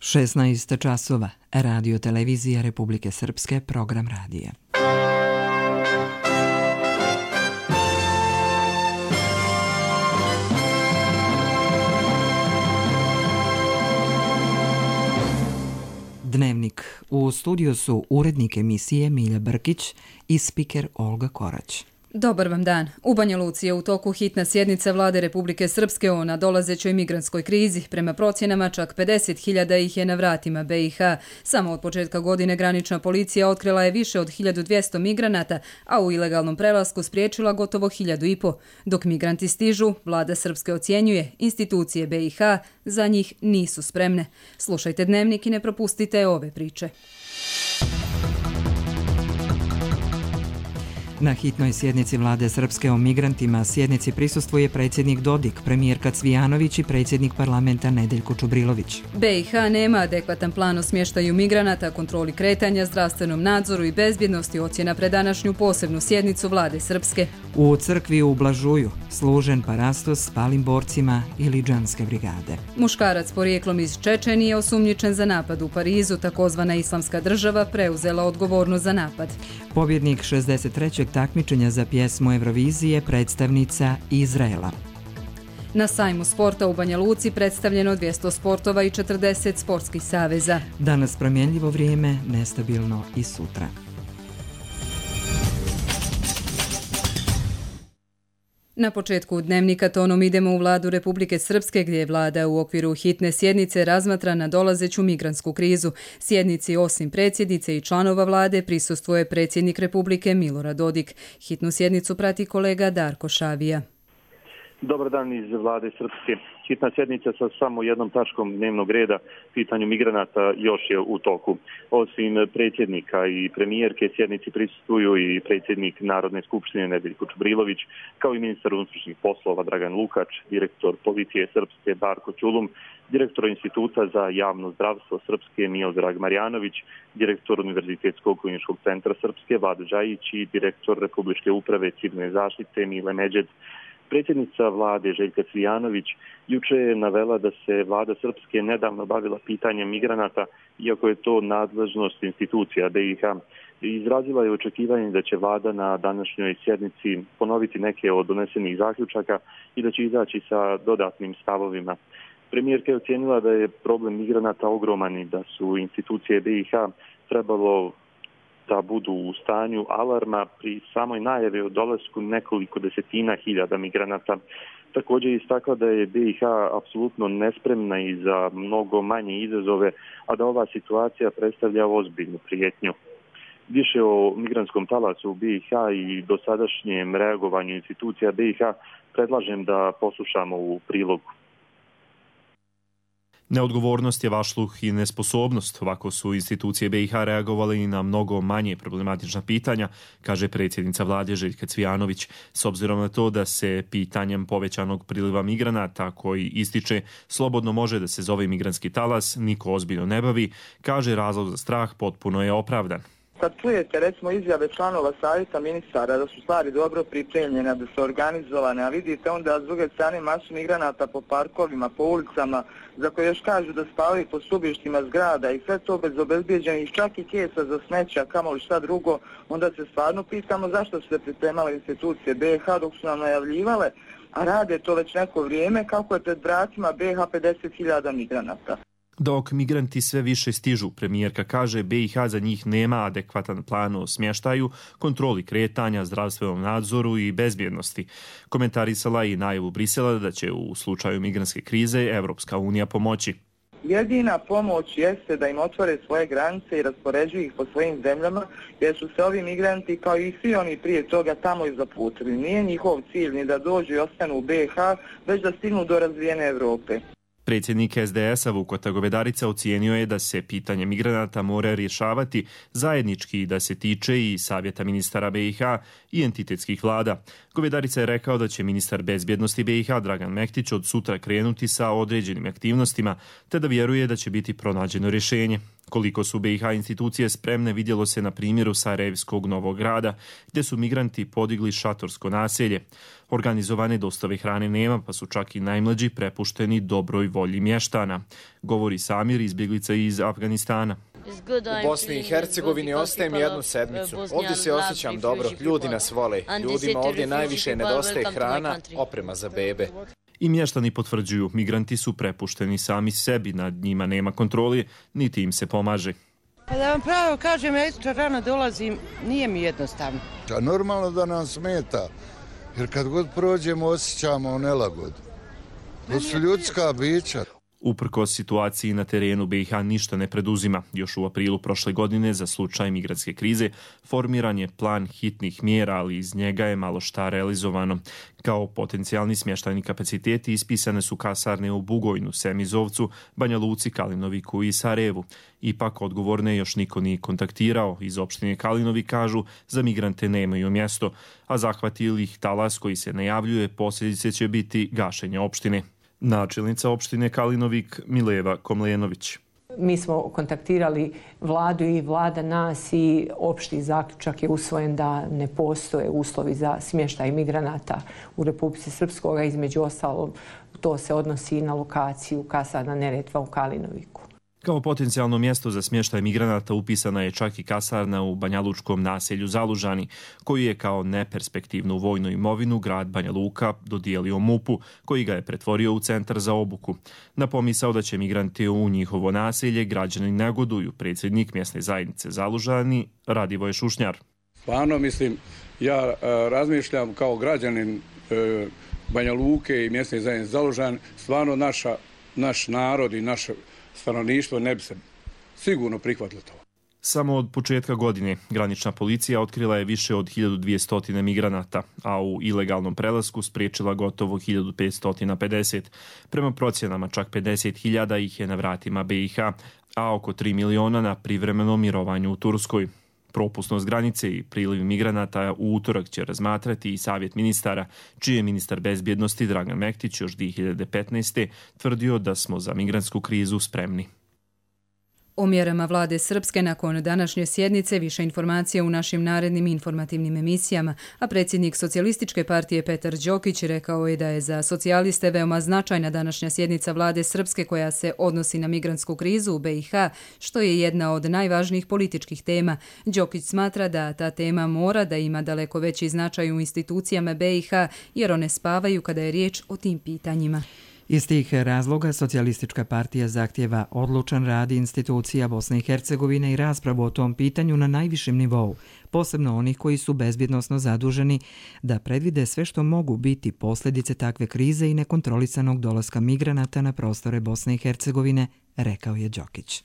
16 časova. Radio televizija Republike Srpske, program radija. Dnevnik. U studiju su urednik emisije Milja Brkić i spiker Olga Korać. Dobar vam dan. U Banja Luci je u toku hitna sjednica Vlade Republike Srpske o nadolazećoj migrantskoj krizi. Prema procjenama čak 50.000 ih je na vratima BiH. Samo od početka godine granična policija otkrila je više od 1200 migranata, a u ilegalnom prelasku spriječila gotovo 1500. Dok migranti stižu, Vlada Srpske ocjenjuje, institucije BiH za njih nisu spremne. Slušajte Dnevnik i ne propustite ove priče. Na hitnoj sjednici Vlade Srpske o migrantima sjednici prisustvuje predsjednik Dodik, premijerka Cvijanović i predsjednik parlamenta Nedeljko Čubrilović. BiH nema adekvatan plan o smještaju migranata, kontroli kretanja, zdravstvenom nadzoru i bezbjednosti, ocjena pred današnju posebnu sjednicu Vlade Srpske. U crkvi u Blažuju služen parastos s palim borcima ili džanske brigade. Muškarac porijeklom iz Čečenije osumnjičen za napad u Parizu, takozvana Islamska država preuzela odgovornost za napad. Pobjednik 63. takmičenja za pjesmu Eurovizije predstavnica Izraela. Na sajmu sporta u Banja Luci predstavljeno 200 sportova i 40 sportskih saveza. Danas promjenljivo vrijeme, nestabilno i sutra. Na početku Dnevnika tonom idemo u Vladu Republike Srpske, gdje je Vlada u okviru hitne sjednice razmatra nadolazeću migrantsku krizu. Sjednici osim predsjednice i članova Vlade prisustvuje predsjednik Republike Milorad Dodik. Hitnu sjednicu prati kolega Darko Šavija. Dobar dan iz Vlade Srpske. Hitna sjednica sa samo jednom tačkom dnevnog reda, pitanju migranata, još je u toku. Osim predsjednika i premijerke, sjednici prisustvuju i predsjednik Narodne skupštine Nedeljko Čubrilović, kao i ministar unutrašnjih poslova Dragan Lukač, direktor policije Srpske Darko Ćulum, direktor Instituta za javno zdravstvo Srpske Miodrag Marjanović, direktor Univerzitetskog kliničkog centra Srpske Vlada Đajić i direktor Republičke uprave civilne zaštite Mile Međed. Predsjednica Vlade Željka Cvijanović juče je navela da se Vlada Srpske nedavno bavila pitanjem migranata, iako je to nadležnost institucija BiH. Izrazila je očekivanje da će Vlada na današnjoj sjednici ponoviti neke od donesenih zaključaka i da će izaći sa dodatnim stavovima. Premijerka je ocijenila da je problem migranata ogroman i da su institucije BiH trebalo da budu u stanju alarma pri samoj najavi o dolasku nekoliko desetina hiljada migranata. Također je istakla da je BiH apsolutno nespremna i za mnogo manje izazove, a da ova situacija predstavlja ozbiljnu prijetnju. Više o migrantskom talasu u BiH i dosadašnjem reagovanju institucija BiH predlažem da poslušamo u prilogu. Neodgovornost je vašluh i nesposobnost. Ovako su institucije BiH reagovali i na mnogo manje problematična pitanja, kaže predsjednica Vlade Željka Cvijanović. S obzirom na to da se pitanjem povećanog priliva migranata koji ističe slobodno može da se zove migrantski talas, niko ozbiljno ne bavi, kaže razlog za strah potpuno je opravdan. Kad čujete recimo izjave članova savjeta ministara da su stvari dobro pripremljene, da su organizovane, a vidite onda s druge strane masu migranata po parkovima, po ulicama, za koje još kažu da spavaju po stubištima zgrada i sve to bez obezbijeđenih čak i kesa za smeća, kamoli šta drugo, onda se stvarno pitamo zašto su se pripremale institucije BiH dok su nam najavljivale, a rade to već neko vrijeme kako je pred vratima BiH 50.000 migranata. Dok migranti sve više stižu, premijerka kaže BiH za njih nema adekvatan plan o smještaju, kontroli kretanja, zdravstvenom nadzoru i bezbjednosti. Komentarisala i najavu Brisela da će u slučaju migrantske krize Evropska unija pomoći. Jedina pomoć jeste da im otvore svoje granice i raspoređuju ih po svojim zemljama, jer su se ovi migranti kao i svi oni prije toga tamo i zaputili. Nije njihov cilj ni da dođu i ostanu u BiH, već da stignu do razvijene Evrope. Predsjednik SDS-a Vukota Govedarica ocijenio je da se pitanje migranata mora rješavati zajednički i da se tiče i savjeta ministara BiH i entitetskih vlada. Govedarica je rekao da će ministar bezbjednosti BiH Dragan Mektić od sutra krenuti sa određenim aktivnostima, te da vjeruje da će biti pronađeno rješenje. Koliko su BiH institucije spremne vidjelo se na primjeru Sarajevskog Novog Grada, gdje su migranti podigli šatorsko naselje. Organizovane dostave hrane nema, pa su čak i najmlađi prepušteni dobroj volji mještana, govori Samir, izbjeglica iz Afganistana. U Bosni i Hercegovini ostajem jednu sedmicu. Ovdje se osjećam dobro, ljudi nas vole. Ljudima ovdje najviše nedostaje hrana, oprema za bebe. I mještani potvrđuju, migranti su prepušteni sami sebi, nad njima nema kontrole, niti im se pomaže. Pa da vam pravo kažem, ja isto rano dolazim, nije mi jednostavno. Normalno da nam smeta, jer kad god prođemo osjećamo nelagodu. To su ljudska bića. Uprkos situaciji na terenu, BiH ništa ne preduzima. Još u aprilu prošle godine za slučaj migrantske krize formiran je plan hitnih mjera, ali iz njega je malo šta realizovano. Kao potencijalni smještajni kapaciteti ispisane su kasarne u Bugojnu, Semizovcu, Banja Luci, Kalinoviku i Sarajevu. Ipak odgovorne još niko nije kontaktirao. Iz opštine Kalinovi kažu za migrante nemaju mjesto, a zahvati ih talas koji se najavljuje, posljedice će biti gašenje opštine. Načelnica opštine Kalinovik Mileva Komlenović. Mi smo kontaktirali vladu i vlada nas i opšti zaključak je usvojen da ne postoje uslovi za smještaj migranata u Republici Srpskoj, između ostalog to se odnosi i na lokaciju kasarna Neretva u Kalinoviku. Kao potencijalno mjesto za smještaj migranata upisana je čak i kasarna u banjalučkom naselju Zalužani, koji je kao neperspektivnu vojnu imovinu grad Banja Luka dodijelio MUP-u, koji ga je pretvorio u centar za obuku. Na pomisao da će migranti u njihovo naselje građani negoduju, predsjednik mjesne zajednice Zalužani Radivoje Šušnjar. Stvarno mislim, ja razmišljam kao građanin Banja Luke i mjesne zajednice Zalužani, stvarno naš narod i naše stanovništvo ne bi se sigurno prihvatilo to. Samo od početka godine granična policija otkrila je više od 1200 migranata, a u ilegalnom prelasku spriječila gotovo 1550. Prema procjenama čak 50.000 ih je na vratima BiH, a oko 3 miliona na privremenom mirovanju u Turskoj. Propusnost granice i priliv migranata u utorak će razmatrati i Savjet ministara, čiji je ministar bezbjednosti Dragan Mektić još 2015. tvrdio da smo za migrantsku krizu spremni. O mjerama vlade Srpske nakon današnje sjednice više informacija u našim narednim informativnim emisijama, a predsjednik Socijalističke partije Petar Đokić rekao je da je za socijaliste veoma značajna današnja sjednica vlade Srpske koja se odnosi na migrantsku krizu u BiH, što je jedna od najvažnijih političkih tema. Đokić smatra da ta tema mora da ima daleko veći značaj u institucijama BiH jer one spavaju kada je riječ o tim pitanjima. Iz tih razloga Socijalistička partija zahtjeva odlučan rad institucija Bosne i Hercegovine i raspravu o tom pitanju na najvišem nivou, posebno onih koji su bezbjednosno zaduženi da predvide sve što mogu biti posljedice takve krize i nekontrolisanog dolaska migranata na prostore Bosne i Hercegovine, rekao je Đokić.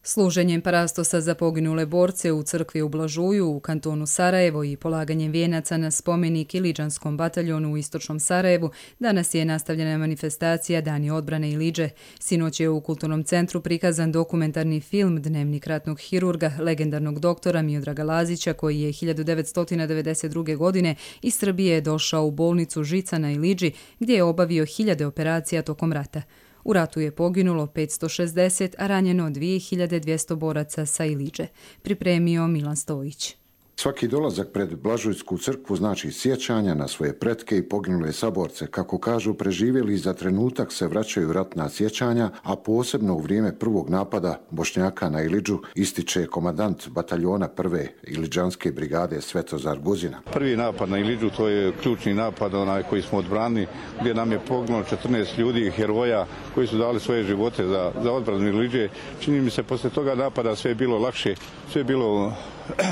Služenjem parastosa za poginule borce u crkvi u Blažuju u kantonu Sarajevo i polaganjem vijenaca na spomenik Iliđanskom bataljonu u istočnom Sarajevu danas je nastavljena manifestacija Dani odbrane Iliđe. Sinoć je u Kulturnom centru prikazan dokumentarni film Dnevnik ratnog hirurga, legendarnog doktora Miodraga Lazića, koji je 1992. godine iz Srbije došao u bolnicu Žica na Iliđi, gdje je obavio 1000 operacija tokom rata. U ratu je poginulo 560, a ranjeno 2200 boraca sa Iliđe. Pripremio Milan Stojić. Svaki dolazak pred Blažujsku crkvu znači sjećanja na svoje pretke i poginule saborce. Kako kažu, preživjeli za trenutak se vraćaju ratna sjećanja, a posebno u vrijeme prvog napada Bošnjaka na Iliđu, ističe komandant bataljona prve Iliđanske brigade Svetozar Guzina. Prvi napad na Iliđu, to je ključni napad koji smo odbranili, gdje nam je poginulo 14 ljudi, heroja koji su dali svoje živote za odbranu Iliđe. Čini mi se posle toga napada sve je bilo lakše, sve je bilo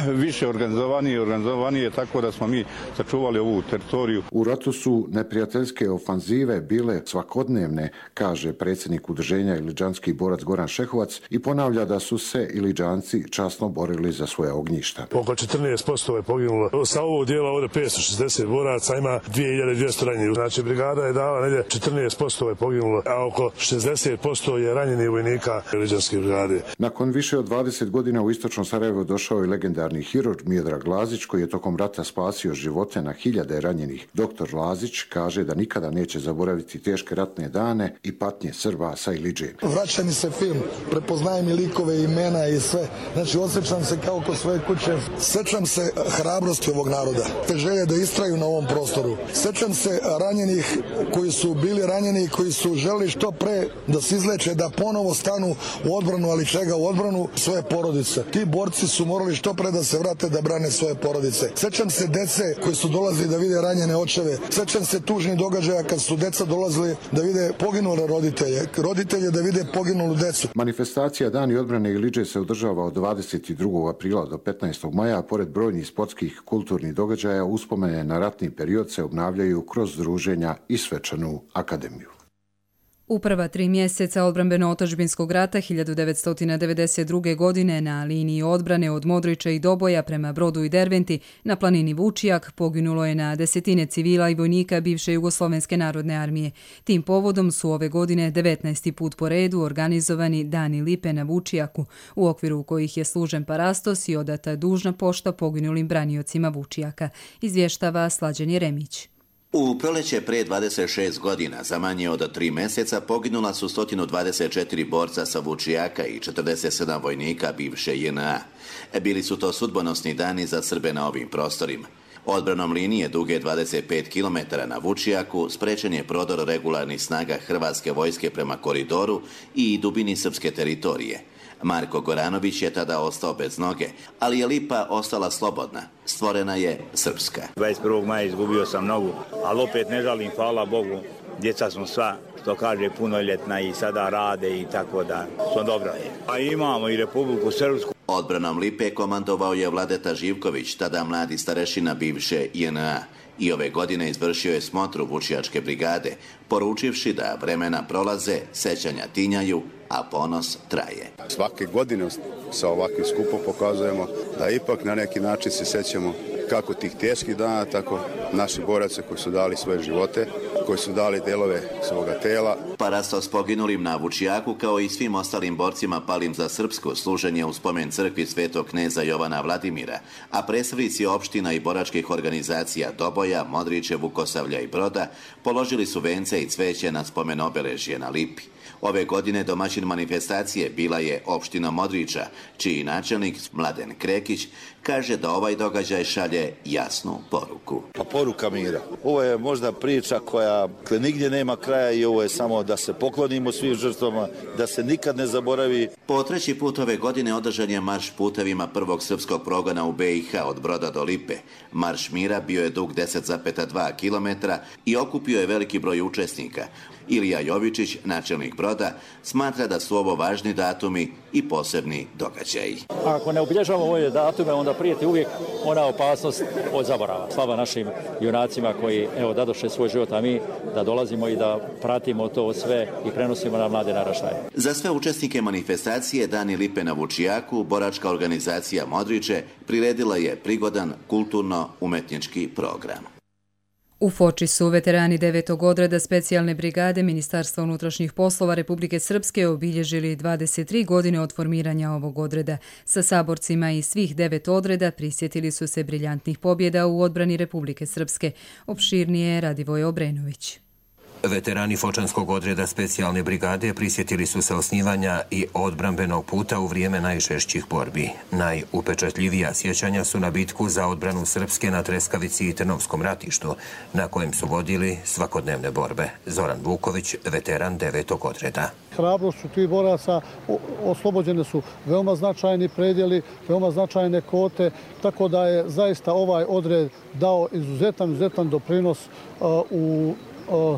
više organizovanije, tako da smo mi sačuvali ovu teritoriju. U ratu su neprijateljske ofanzive bile svakodnevne, kaže predsjednik udruženja Iliđanski borac Goran Šehovac i ponavlja da su se Iliđanci časno borili za svoje ognjišta. Oko 14% je poginulo. Sa ovog dijela ovdje 560 boraca, ima 2200 ranjenih. Znači brigada je dala negdje 14% je poginulo, a oko 60% je ranjenih vojnika Iliđanske brigade. Nakon više od 20 godina u istočnom Sarajevu došao je legendarni hirurg Miodrag Lazić, koji je tokom rata spasio živote na hiljade ranjenih. Doktor Lazić kaže da nikada neće zaboraviti teške ratne dane i patnje Srba sa Iliđe. Vraća mi se film, prepoznajem i likove, imena i sve. Znači, osjećam se kao kod svoje kuće. Sjećam se hrabrosti ovog naroda, te želje da istraju na ovom prostoru. Sjećam se ranjenih koji su bili ranjeni i koji su želi što pre da se izleče, da ponovo stanu u odbranu, ali čega u odbranu? Svoje porodice. Ti borci su morali što pre da se vrate da brane svoje porodice. Sjećam se dece koji su dolazili da vide ranjene očeve. Sjećam se tužnih događaja kad su deca dolazili da vide poginule roditelje da vide poginulu decu. Manifestacija Dani odbrane Iliđe se održava od 22. aprila do 15. maja. Pored brojnih sportskih kulturnih događaja, uspomene na ratni period se obnavljaju kroz druženja i svečanu akademiju. U prva 3 mjeseca odbrambeno-otadžbinskog rata 1992. godine na liniji odbrane od Modrića i Doboja prema Brodu i Derventi na planini Vučijak poginulo je na desetine civila i vojnika bivše Jugoslovenske narodne armije. Tim povodom su ove godine 19. put po redu organizovani Dani lipe na Vučijaku, u okviru kojih je služen parastos i odata dužna pošta poginulim braniocima Vučijaka, izvještava Slađan Jeremić. U proleće pre 26 godina, za manje od 3 mjeseca, poginula su 124 borca sa Vučijaka i 47 vojnika bivše JNA. Bili su to sudbonosni dani za Srbe na ovim prostorima. Odbranom linije duge 25 km na Vučijaku sprečen je prodor regularnih snaga Hrvatske vojske prema koridoru i dubini srpske teritorije. Marko Goranović je tada ostao bez noge, ali je Lipa ostala slobodna. Stvorena je srpska. 21. maja izgubio sam nogu, ali opet ne žalim, hvala Bogu. Djeca smo sva, što kaže, punoljetna i sada rade i tako da smo dobra. A imamo i Republiku Srpsku. Odbranom Lipe komandovao je Vladeta Živković, tada mladi starešina bivše JNA. I ove godine izvršio je smotru Vučijačke brigade, poručivši da vremena prolaze, sećanja tinjaju, a ponos traje. Svake godine sa ovakvim skupom pokazujemo da ipak na neki način se sećamo kako tih teških dana, tako naših boraca koji su dali svoje živote, koji su dali delove svoga tela. Parastos poginulim na Vučijaku, kao i svim ostalim borcima palim za Srpsku, služen je u spomen crkvi Svetog kneza Jovana Vladimira, a predstavnici opština i boračkih organizacija Doboja, Modriće, Vukosavlja i Broda položili su vence i cveće na spomen obeležje na Lipi. Ove godine domaćin manifestacije bila je opština Modrića, čiji načelnik Mladen Krekić kaže da ovaj događaj šalje jasnu poruku. Pa poruka mira. Ovo je možda priča koja nigdje nema kraja i ovo je samo da se poklonimo svim žrtvama, da se nikad ne zaboravi. Po 3. put ove godine održan je marš putevima prvog srpskog progona u BiH od Broda do Lipe. Marš mira bio je dug 10,2 km i okupio je veliki broj učesnika. Ilija Jovičić, načelnik Broda, smatra da su ovo važni datumi i posebni događaji. Ako ne obilježavamo ove datume, onda prijeti uvijek ona opasnost od zaborava. Slava našim junacima koji dadoše svoj život, a mi da dolazimo i da pratimo to sve i prenosimo na mlade naraštaje. Za sve učesnike manifestacije Dani lipe na Vučijaku, boračka organizacija Modriće priredila je prigodan kulturno-umetnički program. U Foči su veterani 9. odreda specijalne brigade Ministarstva unutrašnjih poslova Republike Srpske obilježili 23 godine od formiranja ovog odreda. Sa saborcima iz svih 9 odreda prisjetili su se briljantnih pobjeda u odbrani Republike Srpske. Opširnije Radivoj Obrenović. Veterani Fočanskog odreda specijalne brigade prisjetili su se osnivanja i odbrambenog puta u vrijeme najžešćih borbi. Najupečatljivija sjećanja su na bitku za odbranu Srpske na Treskavici i Trnovskom ratištu, na kojem su vodili svakodnevne borbe. Zoran Vuković, veteran 9. odreda. Hrabrost su tih boraca, oslobođene su veoma značajni predjeli, veoma značajne kote, tako da je zaista ovaj odred dao izuzetan doprinos u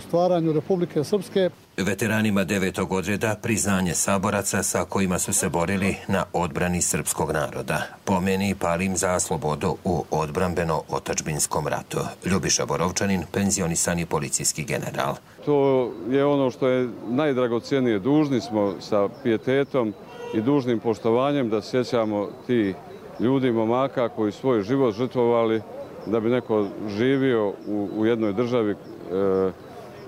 stvaranju Republike Srpske. Veteranima 9. odreda priznanje saboraca sa kojima su se borili na odbrani srpskog naroda. Pomeni palim za slobodu u odbrambeno-otadžbinskom ratu. Ljubiša Borovčanin, penzionisani policijski general. To je ono što je najdragocijenije. Dužni smo sa pijetetom i dužnim poštovanjem da sjećamo ti ljudi, momaka koji svoj život žrtvovali da bi neko živio u jednoj državi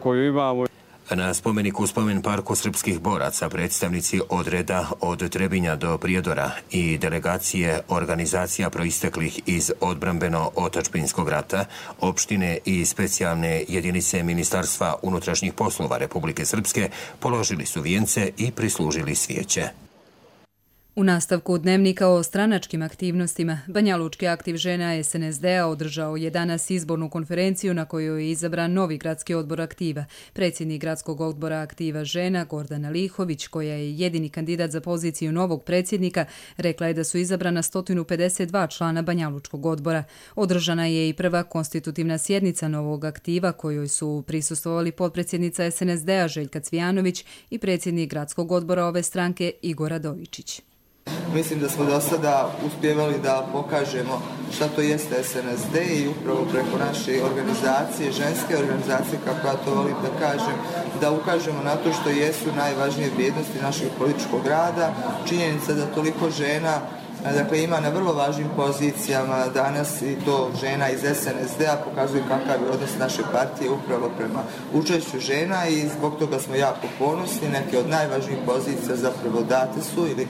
koju imamo. Na spomeniku u spomen parku srpskih boraca predstavnici odreda od Trebinja do Prijedora i delegacije organizacija proisteklih iz odbrambeno-otačbinskog rata, opštine i specijalne jedinice Ministarstva unutrašnjih poslova Republike Srpske položili su vijence i prislužili svijeće. U nastavku dnevnika o stranačkim aktivnostima, Banjalučki aktiv žena SNSD-a održao je danas izbornu konferenciju na kojoj je izabran novi gradski odbor aktiva. Predsjednik gradskog odbora aktiva žena, Gordana Lihović, koja je jedini kandidat za poziciju novog predsjednika, rekla je da su izabrana 152 člana Banjalučkog odbora. Održana je i prva konstitutivna sjednica novog aktiva kojoj su prisustvovali potpredsjednica SNSD-a Željka Cvijanović i predsjednik gradskog odbora ove stranke Igor Radovičić. Mislim da smo do sada uspjevali da pokažemo šta to jeste SNSD i upravo preko naše organizacije, ženske organizacije, kako ja to volim da kažem, da ukažemo na to što jesu najvažnije vrijednosti našeg političkog rada. Činjenica da toliko žena ima na vrlo važnim pozicijama danas i to žena iz SNSD-a pokazuje kakav je odnos naše partije upravo prema učešću žena i zbog toga smo jako ponosni. Neke od najvažnijih pozicija zapravo date su ili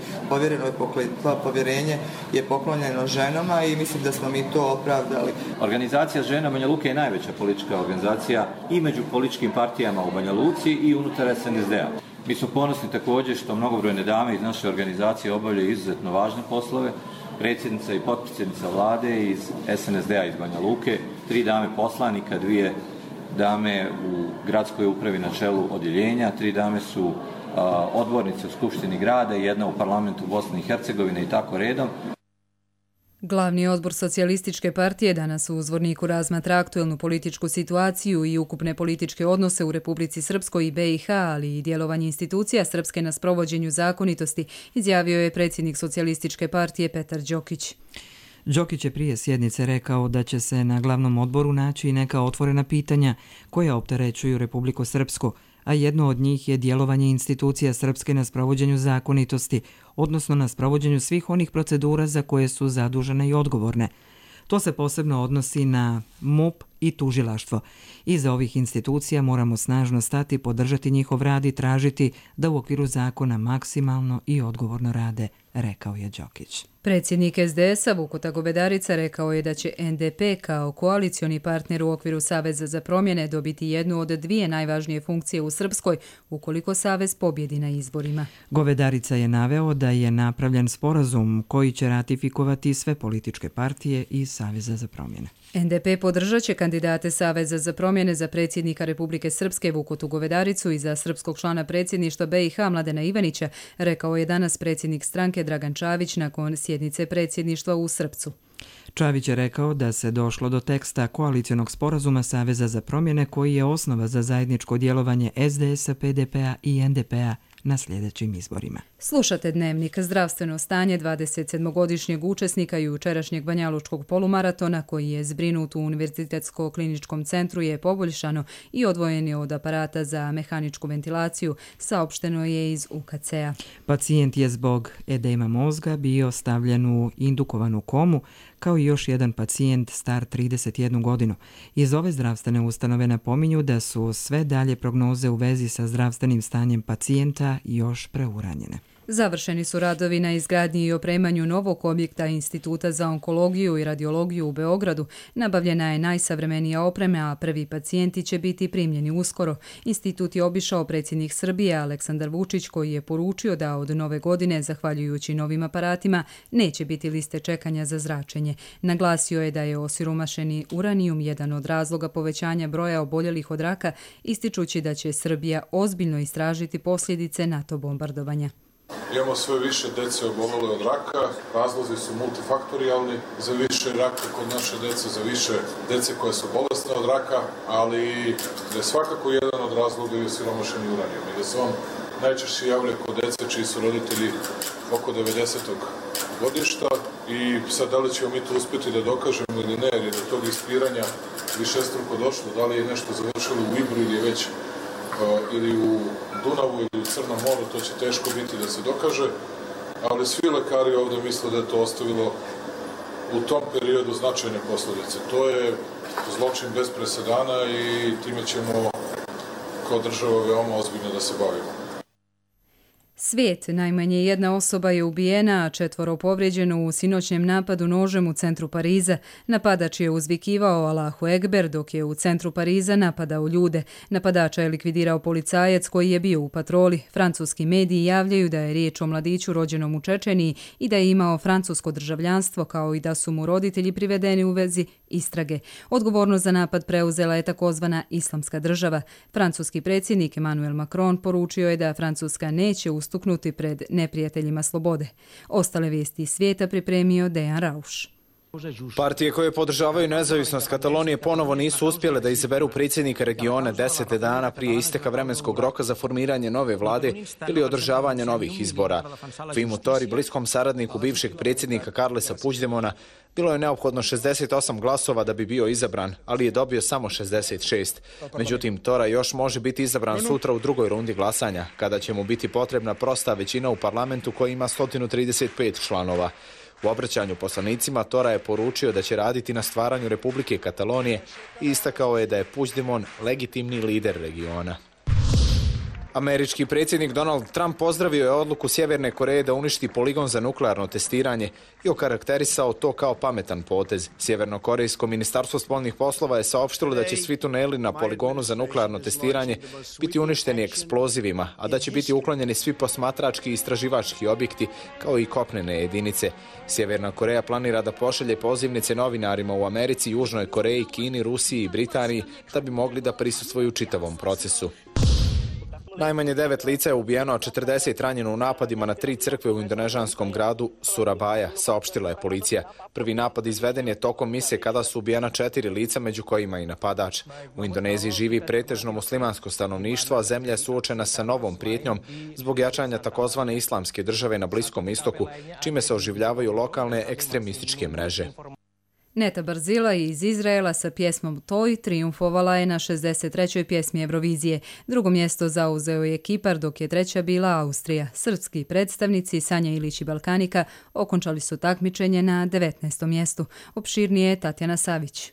povjerenje je poklonjeno ženama i mislim da smo mi to opravdali. Organizacija žena Banja Luke je najveća politička organizacija i među političkim partijama u Banja Luci i unutar SNSD-a. Mi smo ponosni također što mnogobrojne dame iz naše organizacije obavljaju izuzetno važne poslove. Predsjednica i potpredsjednica vlade iz SNSD-a iz Banja Luke, 3 dame poslanika, 2 dame u gradskoj upravi na čelu odjeljenja, 3 dame su odbornice u Skupštini grada i 1 u parlamentu Bosne i Hercegovine i tako redom. Glavni odbor Socijalističke partije danas u Zvorniku razmatra aktuelnu političku situaciju i ukupne političke odnose u Republici Srpskoj i BiH, ali i djelovanje institucija Srpske na sprovođenju zakonitosti, izjavio je predsjednik Socijalističke partije Petar Đokić. Đokić je prije sjednice rekao da će se na glavnom odboru naći neka otvorena pitanja koja opterećuju Republiku Srpsku, a jedno od njih je djelovanje institucija Srpske na sprovođenju zakonitosti, odnosno na sprovođenju svih onih procedura za koje su zadužene i odgovorne. To se posebno odnosi na MUP i tužilaštvo. Iza ovih institucija moramo snažno stati, podržati njihov rad i tražiti da u okviru zakona maksimalno i odgovorno rade, rekao je Đokić. Predsjednik SDS-a Vukota Govedarica rekao je da će NDP kao koalicioni partner u okviru Saveza za promjene dobiti jednu od 2 najvažnije funkcije u Srpskoj ukoliko Savez pobjedi na izborima. Govedarica je naveo da je napravljen sporazum koji će ratifikovati sve političke partije i Saveza za promjene. NDP podržat će kandidate Saveza za promjene za predsjednika Republike Srpske Vukotu Govedaricu i za srpskog člana predsjedništva BiH Mladena Ivanića, rekao je danas predsjednik stranke Dragan Čavić nakon sjednice predsjedništva u Srpcu. Čavić je rekao da se došlo do teksta koalicionog sporazuma Saveza za promjene koji je osnova za zajedničko djelovanje SDS-a, PDP-a i NDP-a na sljedećim izborima. Slušate dnevnik. Zdravstveno stanje 27-godišnjeg učesnika jučerašnjeg banjalučkog polumaratona koji je zbrinut u Univerzitetsko-kliničkom centru je poboljšano i odvojen je od aparata za mehaničku ventilaciju, saopšteno je iz UKC-a. Pacijent je zbog edema mozga bio stavljen u indukovanu komu, kao i još jedan pacijent star 31 godinu. Iz ove zdravstvene ustanove napominju da su sve dalje prognoze u vezi sa zdravstvenim stanjem pacijenta još preuranjene. Završeni su radovi na izgradnji i opremanju novog objekta Instituta za onkologiju i radiologiju u Beogradu. Nabavljena je najsavremenija oprema, a prvi pacijenti će biti primljeni uskoro. Institut je obišao predsjednik Srbije Aleksandar Vučić, koji je poručio da od nove godine, zahvaljujući novim aparatima, neće biti liste čekanja za zračenje. Naglasio je da je osiromašeni uranijum jedan od razloga povećanja broja oboljelih od raka, ističući da će Srbija ozbiljno istražiti posljedice NATO bombardovanja. Imamo sve više dece obolele od raka, razlozi su multifaktorijalni, za više raka kod naše dece, za više dece koje su bolesne od raka, ali da je svakako jedan od razloga i osiromašeni uranijum i da se on najčešće javlja kod dece čiji su roditelji oko 90. godišta i sad da li ćemo mi to uspjeti da dokažemo ili ne, jer je do tog ispiranja višestruko došlo, da li je nešto završilo u Ibru ili već ili u Dunavu ili u Crnom moru, to će teško biti da se dokaže, ali svi lekari ovdje misle da je to ostavilo u tom periodu značajne posljedice. To je zločin bez presedana i time ćemo kao država veoma ozbiljno da se bavimo. Svijet, najmanje jedna osoba je ubijena, a 4 povrijeđeno u sinoćnjem napadu nožem u centru Pariza. Napadač je uzvikivao Allahu Ekber dok je u centru Pariza napadao ljude. Napadača je likvidirao policajac koji je bio u patroli. Francuski mediji javljaju da je riječ o mladiću rođenom u Čečeniji i da je imao francusko državljanstvo, kao i da su mu roditelji privedeni u vezi istrage. Odgovornost za napad preuzela je takozvana Islamska država. Francuski predsjednik Emmanuel Macron poručio je da Francuska neće ustuknuti pred neprijateljima slobode. Ostale vijesti iz svijeta pripremio Dejan Rauš. Partije koje podržavaju nezavisnost Katalonije ponovo nisu uspjele da izaberu predsjednika regiona 10 dana prije isteka vremenskog roka za formiranje nove vlade ili održavanje novih izbora. Fimu Tori, bliskom saradniku bivšeg predsjednika Carlesa Puigdemona, bilo je neophodno 68 glasova da bi bio izabran, ali je dobio samo 66. Međutim, Tora još može biti izabran sutra u drugoj rundi glasanja, kada će mu biti potrebna prosta većina u parlamentu koji ima 135 članova. U obraćanju poslanicima Tora je poručio da će raditi na stvaranju Republike Katalonije i istakao je da je Puigdemont legitimni lider regiona. Američki predsjednik Donald Trump pozdravio je odluku Sjeverne Koreje da uništi poligon za nuklearno testiranje i okarakterisao to kao pametan potez. Sjevernokorejsko ministarstvo spoljnih poslova je saopštilo da će svi tuneli na poligonu za nuklearno testiranje biti uništeni eksplozivima, a da će biti uklonjeni svi posmatrački i istraživački objekti kao i kopnene jedinice. Sjeverna Koreja planira da pošalje pozivnice novinarima u Americi, Južnoj Koreji, Kini, Rusiji i Britaniji da bi mogli da prisustvuju čitavom procesu. Najmanje 9 lica je ubijeno, a 40 ranjeno u napadima na 3 crkve u indonežanskom gradu Surabaya, saopštila je policija. Prvi napad izveden je tokom mise kada su ubijena 4 lica, među kojima i napadač. U Indoneziji živi pretežno muslimansko stanovništvo, a zemlja je suočena sa novom prijetnjom zbog jačanja takozvane islamske države na Bliskom istoku, čime se oživljavaju lokalne ekstremističke mreže. Neta Barzila iz Izraela sa pjesmom Toj triumfovala je na 63. pjesmi Eurovizije. Drugo mjesto zauzeo je Kipar, dok je treća bila Austrija. Srpski predstavnici Sanja Ilić i Balkanika okončali su takmičenje na 19. mjestu. Opširnije je Tatjana Savić.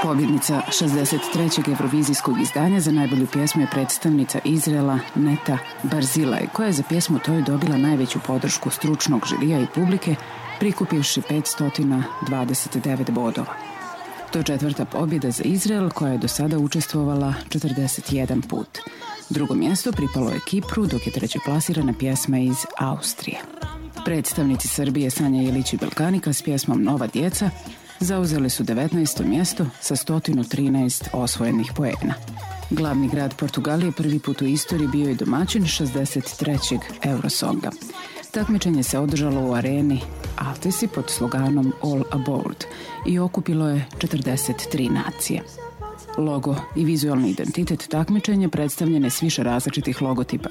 Pobjednica 63. Eurovizijskog izdanja za najbolju pjesmu je predstavnica Izraela Neta Barzila, koja je za pjesmu Toj dobila najveću podršku stručnog žirija i publike, prikupivši 529 bodova. To je 4. pobjeda za Izrael, koja je do sada učestvovala 41 put. Drugo mjesto pripalo je Kipru, dok je treće plasirana pjesma iz Austrije. Predstavnici Srbije Sanja Ilić i Balkanika s pjesmom Nova djeca zauzeli su 19. mjesto sa 113 osvojenih poena. Glavni grad Portugalije prvi put u istoriji bio je domaćin 63. Eurosonga. Takmičenje se održalo u areni Altesi pod sloganom All Aboard i okupilo je 43 nacije. Logo i vizualni identitet takmičenja predstavljene s više različitih logotipa,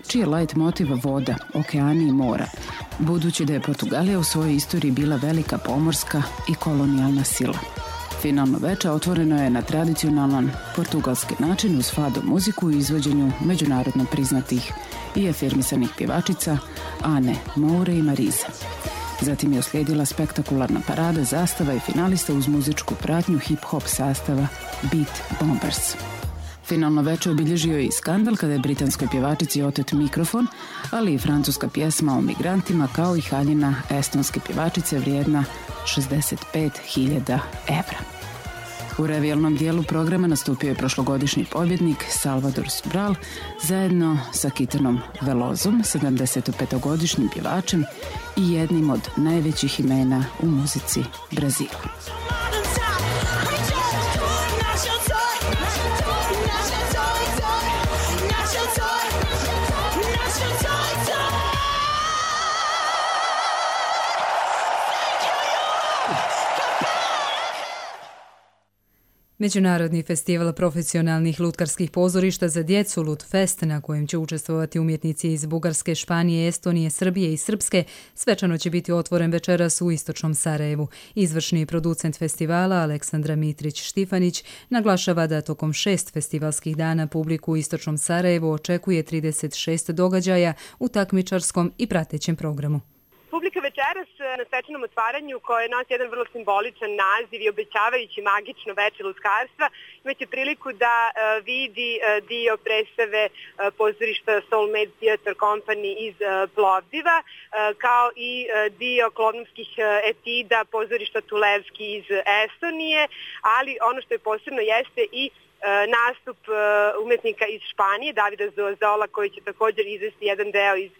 čiji je light motiv voda, okeani i mora, budući da je Portugalija u svojoj istoriji bila velika pomorska i kolonijalna sila. Finalno veče otvoreno je na tradicionalan portugalski način uz fado muziku i izvođenju međunarodno priznatih i afirmisanih pjevačica Ane Moure i Marize. Zatim je uslijedila spektakularna parada zastava i finalista uz muzičku pratnju hip-hop sastava Beat Bombers. Finalno veče obilježio je i skandal kada je britanskoj pjevačici otet mikrofon, ali i francuska pjesma o migrantima kao i haljina estonske pjevačice vrijedna 65.000 evra. U revijalnom dijelu programa nastupio je prošlogodišnji pobjednik Salvador Sobral zajedno sa Kitanom Velozom, 75-godišnjim pjevačem i jednim od najvećih imena u muzici Brazila. Međunarodni festival profesionalnih lutkarskih pozorišta za djecu Lutfest, na kojem će učestvovati umjetnici iz Bugarske, Španije, Estonije, Srbije i Srpske, svečano će biti otvoren večeras u istočnom Sarajevu. Izvršni producent festivala Aleksandra Mitrić-Štifanić naglašava da tokom 6 festivalskih dana publiku u istočnom Sarajevu očekuje 36 događaja u takmičarskom i pratećem programu. Publika večeras na svečanom otvaranju koje nosi jedan vrlo simboličan naziv i obećavajući magično veče lutkarstva imaće priliku da vidi dio predstave pozorišta Soulmate Theatre Company iz Plovdiva kao i dio klovnovskih etida pozorišta Tulevski iz Estonije, ali ono što je posebno jeste i nastup umetnika iz Španije, Davida Zozola, koji će također izvesti jedan deo iz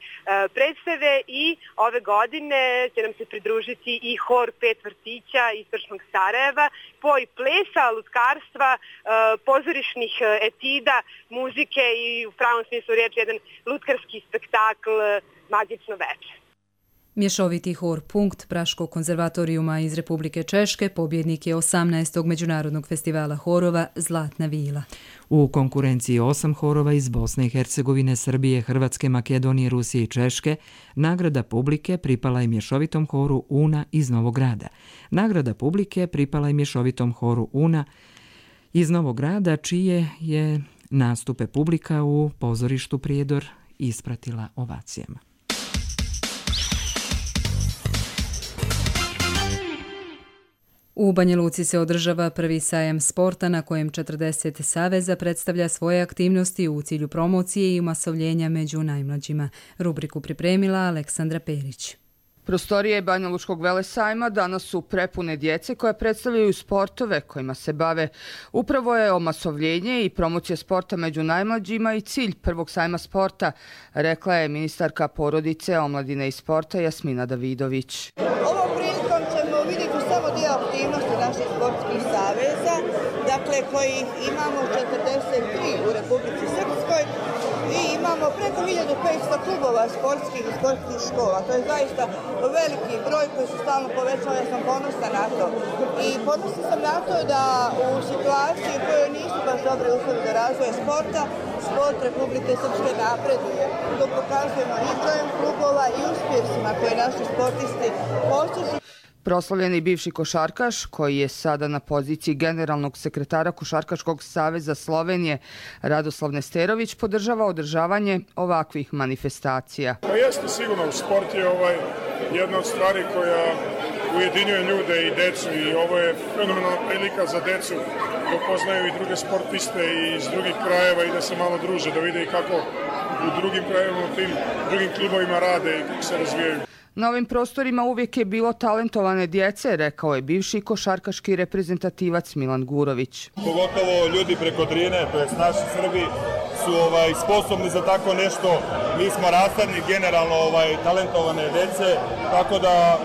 predstave i ove godine će nam se pridružiti i hor 5 vrtića istočnog Sarajeva, poj plesa, lutkarstva, pozorišnih etida, muzike i u pravom smislu riječi jedan lutkarski spektakl Magično veče. Mješoviti hor Punkt Praškog konzervatorijuma iz Republike Češke pobjednik je 18. međunarodnog festivala horova Zlatna vila. U konkurenciji 8 horova iz Bosne i Hercegovine, Srbije, Hrvatske, Makedonije, Rusije i Češke, nagrada publike pripala je mješovitom horu Una iz Novog Grada. Nagrada publike pripala je mješovitom horu Una iz Novog Grada, čije je nastupe publika u pozorištu Prijedor ispratila ovacijama. U Banja Luci se održava prvi sajam sporta na kojem 40 saveza predstavlja svoje aktivnosti u cilju promocije i umasovljenja među najmlađima. Rubriku pripremila Aleksandra Perić. Prostorije Banja Lučkog velesajma danas su prepune djece koja predstavljaju sportove kojima se bave. Upravo je omasovljenje i promocija sporta među najmlađima i cilj prvog sajma sporta, rekla je ministarka porodice, omladine i sporta Jasmina Davidović. Ovom prilikom ćemo vidjeti samo dio aktivnosti naših sportskih saveza, dakle koji imamo 43 u Republici Srpskoj i imamo preko 1500 klubova sportskih i sportskih škola. To je zaista veliki broj koji se stalno povećava, ja sam ponosna na to. I ponosna sam na to da u situaciji u kojoj nisu baš dobre uslovi za razvoj sporta, sport Republike Srpske napreduje. To pokazujemo i brojem klubova i uspjesima koje naši sportisti postižu. Proslavljeni bivši košarkaš, koji je sada na poziciji generalnog sekretara Košarkaškog saveza Slovenije, Radoslav Nesterović, podržava održavanje ovakvih manifestacija. Pa jeste sigurno, sport je jedna od stvari koja ujedinjuje ljude i decu i ovo je fenomenalna prilika za decu da upoznaju i druge sportiste iz drugih krajeva i da se malo druže, da vide i kako u drugim krajevima, u tim drugim klubovima rade i kako se razvijaju. Na ovim prostorima uvijek je bilo talentovane djece, rekao je bivši košarkaški reprezentativac Milan Gurović. Pogotovo ljudi preko Drine, to je naši Srbi, su sposobni za tako nešto. Mi smo rasadni generalno talentovane djece, tako da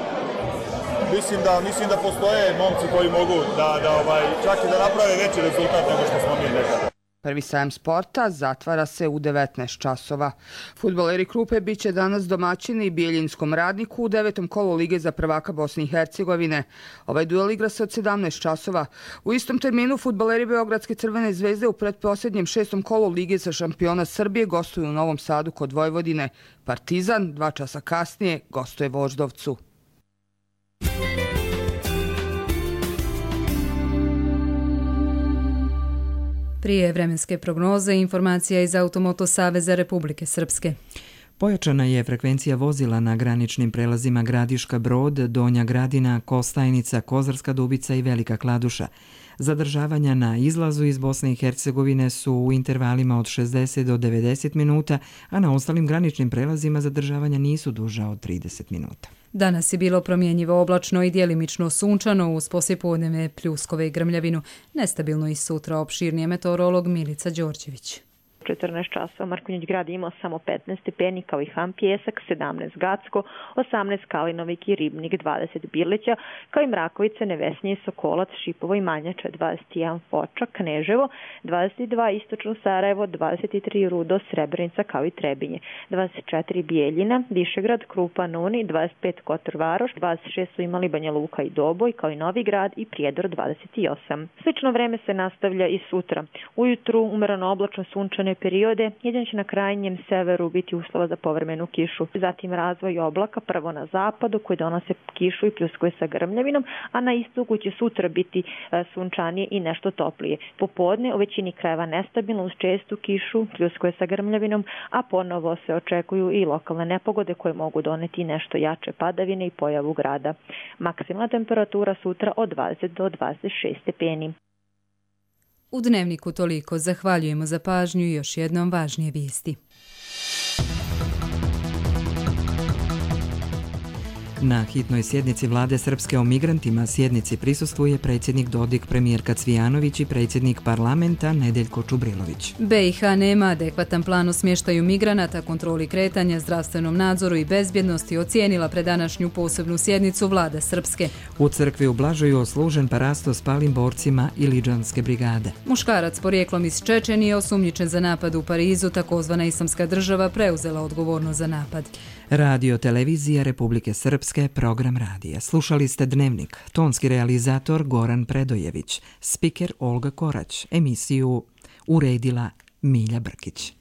mislim da postoje momci koji mogu čak i da naprave veći rezultat nego što smo mi nekada. Prvi sajam sporta zatvara se u 19 časova. Fudbaleri Krupe bit će danas domaćini Bijeljinskom Radniku u 9. kolu Lige za prvaka Bosne i Hercegovine. Ovaj duel igra se od 17 časova. U istom terminu fudbaleri Beogradske Crvene zvezde u pretposljednjem 6. kolu Lige za šampiona Srbije gostuju u Novom Sadu kod Vojvodine. Partizan 2 časa kasnije gostuje Voždovcu. Prije vremenske prognoze informacija iz Automoto Saveza Republike Srpske. Pojačana je frekvencija vozila na graničnim prelazima Gradiška Brod, Donja Gradina, Kostajnica, Kozarska Dubica i Velika Kladuša. Zadržavanja na izlazu iz Bosne i Hercegovine su u intervalima od 60 do 90 minuta, a na ostalim graničnim prelazima zadržavanja nisu duža od 30 minuta. Danas je bilo promjenjivo oblačno i djelimično sunčano uz poslijepodnevne pljuskove i grmljavinu. Nestabilno i sutra, opširnije meteorolog Milica Đorđević. 14 časova Markonjić grad imao samo 15 stepeni kao i Han Pjesak, 17 Gacko, 18 Kalinovik i Ribnik, 20 Birlića, kao i Mrakovice, Nevesnje, Sokolac, Šipovo i Manjača, 21 Foča, Kneževo, 22 Istočno Sarajevo, 23 Rudo, Srebrenica kao i Trebinje, 24 Bijeljina, Višegrad, Krupa, Nuni, 25 Kotor Varoš, 26 su imali Banja Luka i Doboj kao i Novi Grad i Prijedor 28. Slično vreme se nastavlja i sutra. Ujutru umereno oblačno sunčane dnevne periode, jedino će na krajnjem severu biti uslova za povremenu kišu. Zatim razvoj oblaka, prvo na zapadu koji donose kišu i pljuskuje sa grmljavinom, a na istoku će sutra biti sunčanije i nešto toplije. Popodne u većini krajeva nestabilno uz čestu kišu, pljuskuje sa grmljavinom, a ponovo se očekuju i lokalne nepogode koje mogu doneti nešto jače padavine i pojavu grada. Maksimalna temperatura sutra od 20 do 26 stepeni. U Dnevniku toliko. Zahvaljujemo za pažnju i još jednom važnije vijesti. Na hitnoj sjednici vlade Srpske o migrantima sjednici prisustvuje predsjednik Dodik, premijerka Cvijanović i predsjednik parlamenta Nedeljko Čubrilović. BiH nema adekvatan plan o smještaju migranata, kontroli kretanja, zdravstvenom nadzoru i bezbjednosti ocijenila predanašnju posebnu sjednicu vlade Srpske. U crkvi u Blažoju oslužen parasto s palim borcima Iliđanske brigade. Muškarac porijeklom iz Čečenije osumnjičen za napad u Parizu, takozvana Islamska država preuzela odgovornost za napad. Radio Televizija Republike Srpske, program radija. Slušali ste Dnevnik, tonski realizator Goran Predojević, spiker Olga Korać, emisiju uredila Milja Brkić.